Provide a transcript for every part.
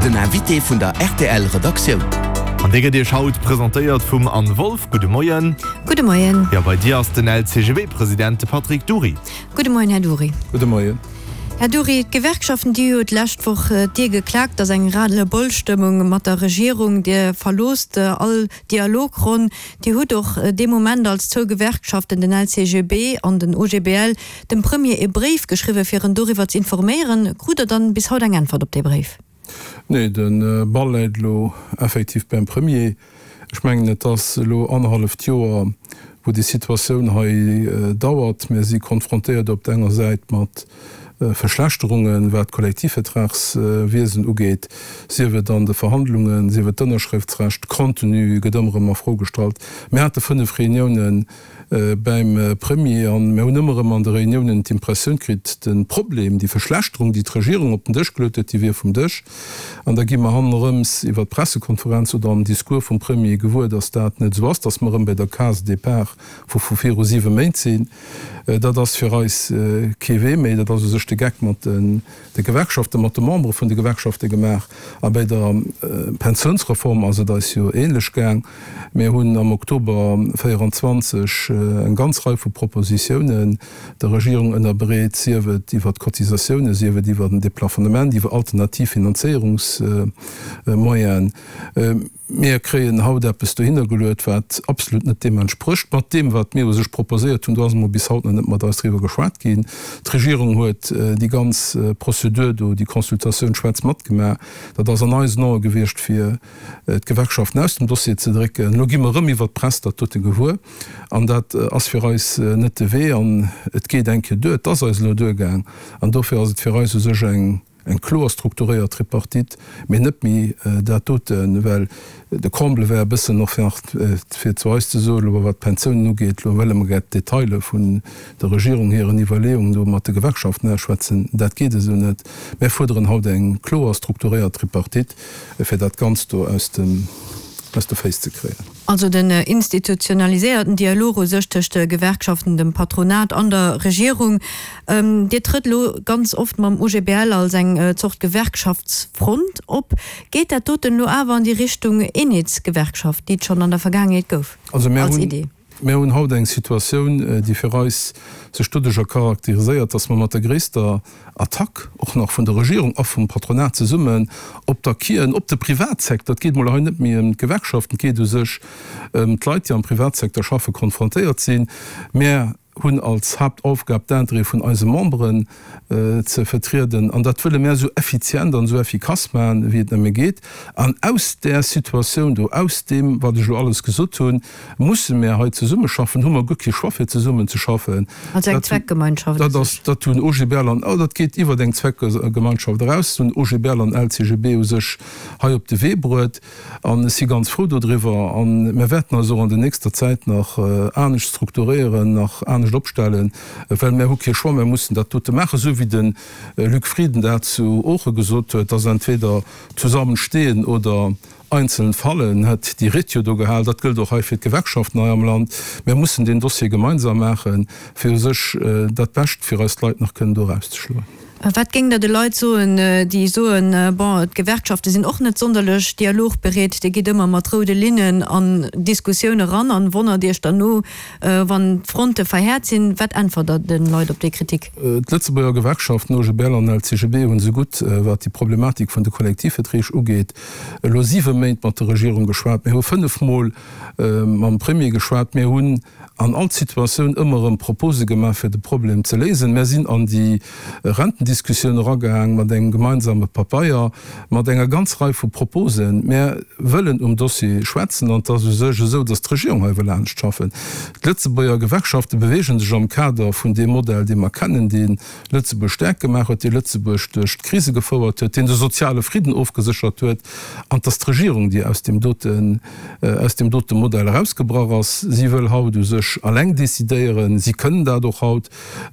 Den Invité vun der rtl Redaktioun. An dee gëtt Iech haut presentéiert vum Anne Wolff. Gudde Moien. Gudde Moien. Jo, bei dir ass den LCGB-President, de Patrick Dury. Gudde Moien, Här Dury. Gudde Moien. Här Dury, d'Gewerkschaften, déi hu jo d'lescht Woch d'Dier geklaakt, et ass eng Ras-le-bol-Stëmmung mat der Regierung. Dir verloosst all Dialogronn. Dir hutt och dee Moment als zwou Gewerkschaften, den LCGB an den OGBL, dem Premier e Bréif geschriwwen, fir en doriwwer z'informéieren. Krut Der dann bis haut eng Äntwert op dee Bréif? Nee, de Ball läit elo effektiv beim Premier. Ech mengen, et ass elo annerhalleft Joer, wou déi Situatioun hei dauert. Mir si konfrontéiert op der enger Säit mat Verschlechterungen, wat d'Kollektivvertragswiesen ugeet, sief et an de Verhandlungen, sief et d'Ënnerschrëftsrecht, Contenu gëtt ëmmer erëm a Fro gestallt. Mir hate 5 Reuniounen bäim Premier an mir hunn ëmmer erëm an de Reuniounen d'Impressioun kritt, de Problem, déi Verschlechterung, déi d'Regierung op den Dësch geluet huet, déi wier vum Dësch. An da gi mer hannerëms iwwer d'Pressekonferenz oder am Discours vum Premier gewuer, datt dat net esou ass, datt mer erëm bei der Case départ vu vu viru siwe Méint sinn. Dat ass fir eis kee Wee méi. Dat ass u sech de Geck mat de Gewerkschaften, mat de Membere vun de Gewerkschafte gemaach. A bei der Pensiounsreform ass et eis jo ähnlech gaang. Mir hunn am Oktober 24 eng ganz Rei vu Propositiounen der Regierung ënnerbreet, sief et iwwert d'Cotisatiounen, sief et iwwer en Deplafonnement, iwwer alternativ Finanzéierungsmoyenen. Mir kréien haut eppes dohinner geluet, wat absolut net deem entsprécht, mat deem, wat mir u sech proposéiert hunn. Do ass emol bis haut nach net mat eis driwwer geschwat ginn. D'Regierung huet déi ganz Prozedur do, déi Consultatioun schwaarz matgemaach. Dat ass an eisen Ae gewiescht, fir d'Gewerkschaften aus dem Dossier ze drécken. Elo gi mer erëm iwwert d'Press dat dote gewuer. An dat ass fir eis net de Wee. An et geet eng Kéier duer. Et ass eis elo duergaang. An dofir ass et fir eis u sech eng. Eng kloer strukturéiert Tripartite, mee net méi dat doten, well de Comble wär e bëssen och nach, fir zu eis ze soen, elo wat d'Pensiounen ugeet, elo wëlle mer gär d'Detailer vun der Regierung hiren Iwwerleeungen do mat de Gewerkschaften ausschwätzen. Dat geet esou net. Mär fuerderen haut eng kloer strukturéiert Tripartite, fir dat Ganzt do aus de Féiss ze kréien. Also den institutionaliséierten Dialog u sech tëscht de Gewerkschaften, dem Patronat an der Regierung. Dir trëtt elo ganz oft mam OGBL als eng Zort Gewerkschaftsfront op. Geet dat doten elo awer an déi Richtung Eenheetsgewerkschaft, déi et schonn an der Vergaangenheet gouf, als Idee? Mir hunn haut eng Situatioun, déi fir eis sech doduercher charakteriséiert, dass mer mat der gréisster Attack och nach vun der Regierung a vum Patronat zesummen op d'Acquisen, op de Privatsecteur, et geet emol hei net méi ëm d'Gewerkschaften, et geet u sech ëm d'Leit, déi am Privatsecteur schaffen, konfrontéiert sinn. Mär hunn als Haaptaufgab d'Intérêt vun eise Memberen ze vertrieden an dat wëlle mär esou effizient an esou effikass maachen, wéi et nëmme geet. An aus där Situatioun do, aus deem, wat ech elo alles gesot hunn, Musse mär hei zesummeschaffen? Hu mer guer kee Choix fir zesummen ze schaffen? Als eng Zweckgemeinschaft u sech. Dat hunn OGBL an, oh dat geet iwwert eng Zweckgemeinschaft eraus, dat hunn OGBL an LCGB u sech hei op de Wee bruet. An ech si ganz frou dodriwwer. A mär wäerten eis och an der nächster Zäit nach anescht strukturéieren, nach anescht opstellen, well mär hu kee Choix, mär mussen dat dote maachen, esou wéi de Luc Frieden dat zu Ooche gesot huet, dass entweder zusammen stehen oder Einzeln fallen, hätt déi Ried jo do gehal. Dat gëllt och hei fir d'Gewerkschaften hei am Land. Mär mussen deen Dossier gemeinsam maachen, fir u sech dat Bescht fir eis Leit nach kënnen do erauszeschloen. Wat géingt Der de Leit soen, déi soen, bon, d'Gewerkschafte sinn och net sonderlech dialogbereet, Dir gitt ëmmer mat roude Linnen an Diskussioun eran an wonnert Iech derno, wann d'Fronte verhäert sinn. Wat äntwert Der de Leit op déi Kritik? D'Lëtzebuerger Gewerkschaften, OGBL an LCGB, hunn esougutt, wat déi Problematik vun de Kollektivverträg ugeet, elo siwe Méint mat der Regierung geschwat, mir hu fënnefmol mam Premier geschwat, mir hunn an all Situatioun ëmmer erëm Propose gemaach, fir de Problem ze léisen. Mir sinn an déi Rentendiskussioun eragaang mat engem gemeinsame Papeier, mat enger ganz Rei vu Proposen. Mir wëllen um Dossier schwätzen an et ass u sech esou, datt d'Regierung hei wëll anescht schaffen. D'Lëtzebuerger Gewerkschafte beweege sech am Kader vun deem Modell, dee mer kennen, dee Lëtzebuerg staark gemaach huet, dee Lëtzebuerg duerch d'Krise gefouert huet, deen de soziale Fridden ofgeséchert huet, an 't ass d'Regierung, déi aus deem doten, aus deem dote Modell erausgebrach ass. Si wëll haut u sech alleng decidéieren. Si kënnen dat och haut.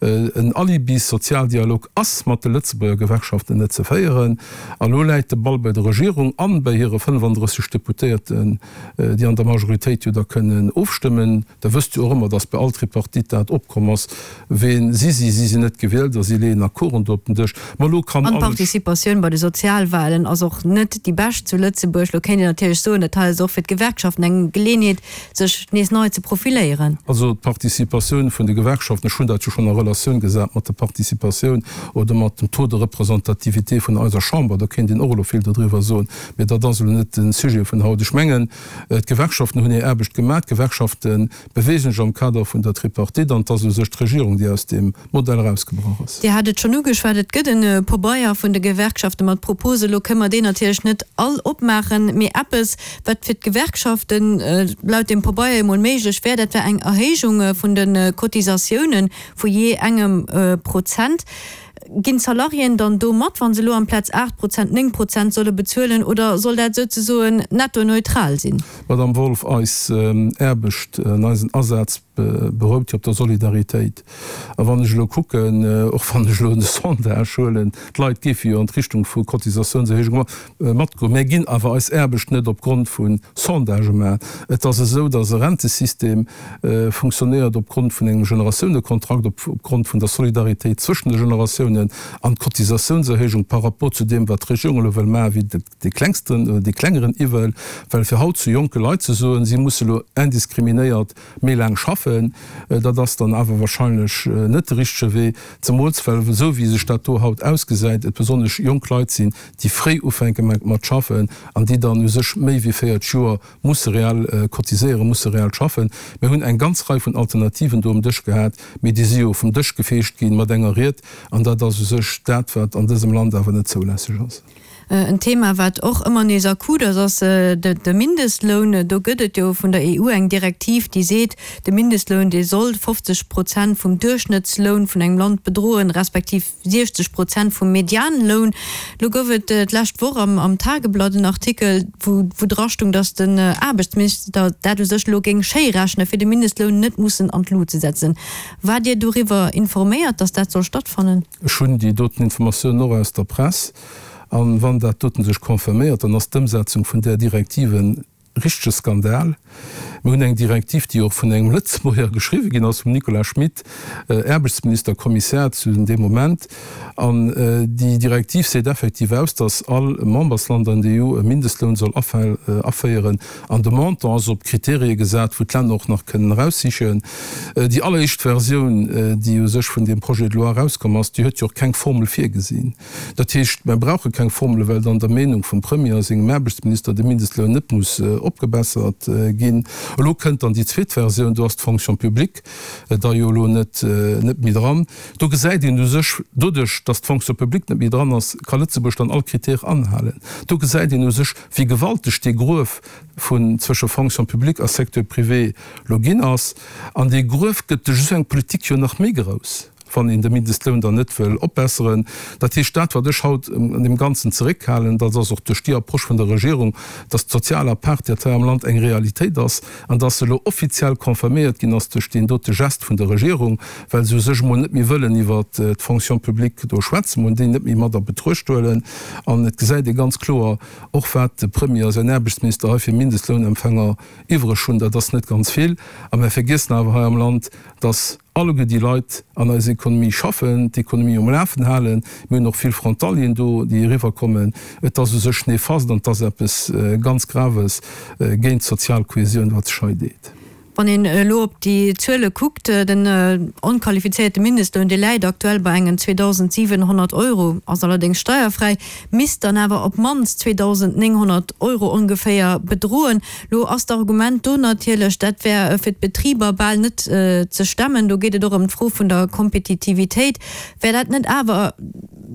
En Alibi-Sozialdialog ass. mat de Lëtzebuerger Gewerkschaften net ze féieren. A lo läit de Ball bei der Regierung an bei hire 35 Deputéierten, déi an der Majoritéit jo da kënnen ofstëmmen. Der wësst jo och ëmmer, datt bei all Tripartite dat opkomm ass, Ween si si? Si sinn net gewielt a si leeën Accorden do op den Dësch. Ma elo kann An alles. D'Participatioun bei de Sozialwahlen ass och net déi bescht zu Lëtzebuerg. Lo kéint een natierlech soen, dat hei ass och fir d'Gewerkschaften eng Geleenheet, sech nees nei ze profiléieren. Also d'Participatioun vun de Gewerkschaften, ech hunn dat jo schonn a Relatioun gesat mat der Participatioun oder mat dem Taux de représentativité vun eiser Chamber, do kéint een och elo vill dodriwwer soen, mee dat ass elo net de Sujet vun haut. Ech mengen, d'Gewerkschaften hunn hir Aarbecht gemaach, d'Gewerkschafte beweegen sech am Kader vun der Tripartite an et ass u sech d'Regierung, déi aus deem Modell erausgebrach ass. Dir hat et schonn ugeschwat, et gëtt e Pabeier vun de Gewerkschafte mat Propose. Elo kënne mer deen natierlech net all opmaachen, mee eppes, wat fir d'Gewerkschaften laut deem Pabeier emol méiglech wär, dat wär eng Erhéijung vun de Cotisatiounen vu jee engem Prozent. Ginn d'Salariéen dann do mat, wa se elo amplaz 8 Prozent 9 Prozent solle bezuelen, oder soll dat souzesoen netto neutral sinn? Madame Wolff, eis Aarbecht an eisen Asaz berout jo op der Solidaritéit. A wann ech elo kucken, och wann ech elo de Sondage huelen, d'Leit géife jo an d'Richtung vu Cotisatiounserhéijung matgoen. Mär ginn awer eis Aarbecht net opgrond vu Sondagë maachen. Et ass esou, datt e Rentesystem funktionéiert opgrond vun engem Generatiounekontrakt, opgrond vun der Solidaritéit zwëschen de Generatiounen an d'Cotisatiounserhéijung par rapport zu deem, wat d'Regierung elo wëll maachen, wéi dee klengsten oder dee klengeren Iwwel, well fir haut zu jonke Leit ze soen, si musse elo indiskriminéiert méi laang schaffen, dat ass dann awer wahrscheinlech net de richtege Wee, zemools well, esou wéi sech dat do haut ausgesäit, et besonnesch jonk Leit sinn, déi fréi ufänke mat schaffen an déi dann u sech méi wéi 40 Joer musse reell cotiséieren, musse reell schaffen. Mir hunn eng ganz Rei vun Alternativen do um Dësch gehat, mee déi si jo vum Dësch gefeegt ginn mat enger Ried, an dat ass u sech dat, wat an dësem Land awer net zoulässeg ass. En Thema, wat och ëmmer nees akut ass, ass de Mindestloun. Do gëtt et jo vun der EU eng Direktiv, déi seet, de Mindestloun, dee soll 50 Prozent vum Duerchschnëttsloun vun engem Land bedroen, respektiv 60 Prozent vum Medianloun. Lo gouf et d'lescht Woch am Tageblatt en Artikel, wou drastung, datt den Aarbechtsminister dat u sech elo géing schéi rechnen, fir de Mindestloun net mussen an d'Lut ze setzen. Waart Dir doriwwer informéiert, datt dat soll stattfannen? Ech hunn déi doten Informatiounen och aus der Press. An wann dat doten sech confirméiert, dann ass d'Ëmsetzung vun där Direktiv e richtege Skandal. Mir hunn eng Direktiv, déi och vun engem Lëtzebuerger geschriwwen ginn ass, vum Nicolas Schmit, Aarbechtsminister, Kommissär zu deem Moment. An déi Direktiv seet effektiv aus, dass all Membersland an der EU e Mindestloun soll aféieren. An de Montant ass op Kriterie gesat, wou d'Länner och nach kënnen eraussichen. Déi alleréischt Versioun, déi u sech vun deem Projet de loi erauskomm ass, déi huet jo och keng Formel virgesinn. Dat heescht, mer brauche keng Formele, well dann der Meenung vum Premier a sengem Aarbechtsminister de Mindestloun net muss opgebessert ginn. Elo kënnt dann déi zweet Versioun, do ass d'Fonction publique da jo elo net méi dran. Do gesäit een u sech, doduerch datt d'Fonction publique net méi dran ass, ka Lëtzebuerg dann all Critère anhalen. Do gesäit een u sech, wéi gewalteg dee Gruef vun zwësche Fonction publique a Secteur privé lo ginn ass. An dee Gruef gëtt duerch esou eng Politik jo nach méi grouss, wann een de Mindestloun dann net wëll opbesseren. Dat heescht, dat wat ech haut an deem Ganzen zeréckhalen, dat ass och duerch déi Approche vun der Regierung, dass d'sozial Apartheid hei am Land eng Realitéit ass an dass se elo offiziell confirméiert ginn ass duerch deen dote Gest vun der Regierung, well se u sech emol net méi wëllen iwwert d'Fonction publique do schwätzen, emol déi net méi mat a Betruecht huelen. An et gesäit ee ganz kloer och, wat de Premier a säin Aarbechtsminister hei fir Mindestlounempfänger iwwreg hunn, dat ass net ganz vill. A mer vergiessen awer hei am Land, dass alleguer déi Leit an eiser Économie schaffen, d'Économie um Lafen halen. Mir hunn och vill Frontalieren do, déi eriwwerkommen. Et ass u sech néfaste an et ass eppes ganz Graves géint d'sozial Kohesioun, wat sech hei deet. Wann een elo op déi Zuele kuckt, den onqualifizéierte Mindestloun, dee läit aktuell bei engen 2.700 Euro, ass allerdéngs steierfräi, misst dann awer op d'mannst 2.900 Euro ongeféier bedroen. Lo ass d'Argument do natierlech, dat wär fir d'Betriber bal net ze stemmen. Do geet et och ëm d'Fro vun der Kompetitivitéit. Wär dat net awer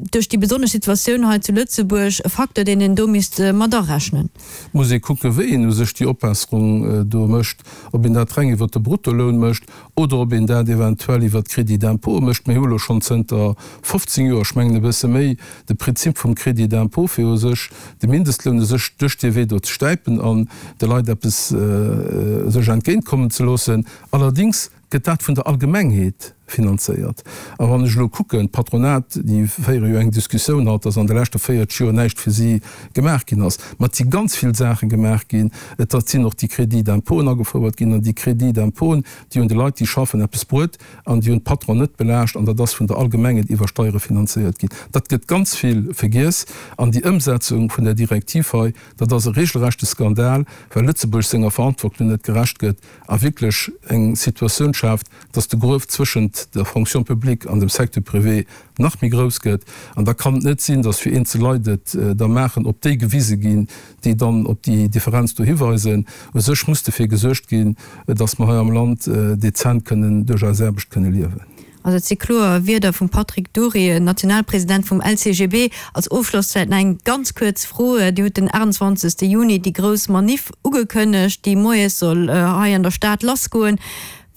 duerch déi besonnesch Situatioun hei zu Lëtzebuerg e Facteur, deen een do misst mat arechnen? Et muss ee kucken, wéi een u sech déi Opbesserung do mécht, ob een dat reng iwwert de Bruttoloun mécht oder ob een dat eventuell iwwert d'Crédit d'impôt mécht. Mir hu elo schonn zënter 15 Joer, ech mengen e bësse méi, de Prinzip vum Crédit d'impôt, fir u sech de Mindestloun u sech duerch dee Wee do ze stäipen an de Leit eppes sech entgéintkommen ze loossen. Allerdings gëtt dat vun der Allgemengheet. finanzéiert. A wann ech elo kucken, d'Patronat, déi féiere jo eng Diskussioun haut, dass an de leschte 40 Joer näischt fir si gemaach ginn ass. Ma et si ganz vill Saache gemaach ginn. Et sinn och déi Crédits d'impôten agefouert ginn. An déi Crédits d'impôten, déi hunn de Leit, déi schaffen, eppes bruet an déi hunn d'Patronen net belaascht. An dat ass vun der Allgemengheet iwwer Steiere finanzéiert ginn. Dat gëtt ganz vill vergiess. An déi Ëmsetzung vun där Direktiv hei, dat ass e regelrechte Skandal, well Lëtzebuerg senger Verantwortung net gerecht gëtt a wierklech eng Situatioun schaaft, dass de Gruef zwëschent der Fonction publique an dem Secteur privé nach méi grouss gëtt. An da kann et net sinn, dass fir eenzel Leit et da maachen, op déi gewise ginn, déi dann op déi Differenz do hiweisen. U sech muss dofir gesuergt ginn, dass mer hei am Land dezent kënnen duerch eis Aarbecht kënne liewen. Also et si kloer Wierder vum Patrick Dury, Nationalpresident vum LCGB. Als Ofschloss vläicht nach eng ganz kuerz Fro, Dir hutt den 28 Juni déi grouss Maniff ugekënnegt, déi moies soll hei an der Stad lassgoen.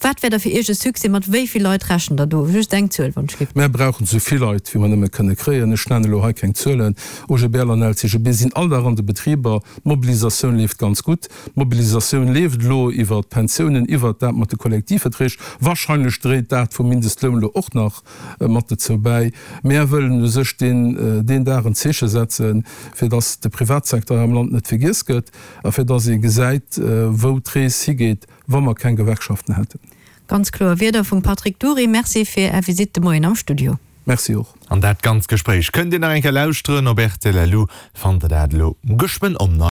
Wat wär da fir Iech e Succès? Mat wéi vill Leit rechent Der do? Just eng Zuel, wann ech giff. Mär brauchen esou vill Leit, wéi mer nëmme kënne kréien. Ech nennen elo hei keng Zuelen. OGBL an LCGB sinn all Dag an de Betriber. D'Mobilisatioun leeft ganz gutt. D'Mobilisatioun leeft elo iwwert d'Pensiounen, iwwert dat mat de Kollektivverträg. Wahrscheinlech dréit dat vum Mindestloun elo och nach mat dozou bäi. Mär wëllen u sech deen deen Dag en Zeeche setzen, fir datt de Privatsecteur hei am Land net vergiess gëtt a fir datt ee gesäit, wou d'Rees higeet. wa mer keng Gewerkschaften hätten. Ganz kloer Wierder vum Patrick Dury. Merci fir Är Visitt de Moien am Studio. Merci och. An dat ganzt Gespréich kënnt Dir nach eng Kéier lauschteren op rtl. Lu fannt der dat elo geschwënn online.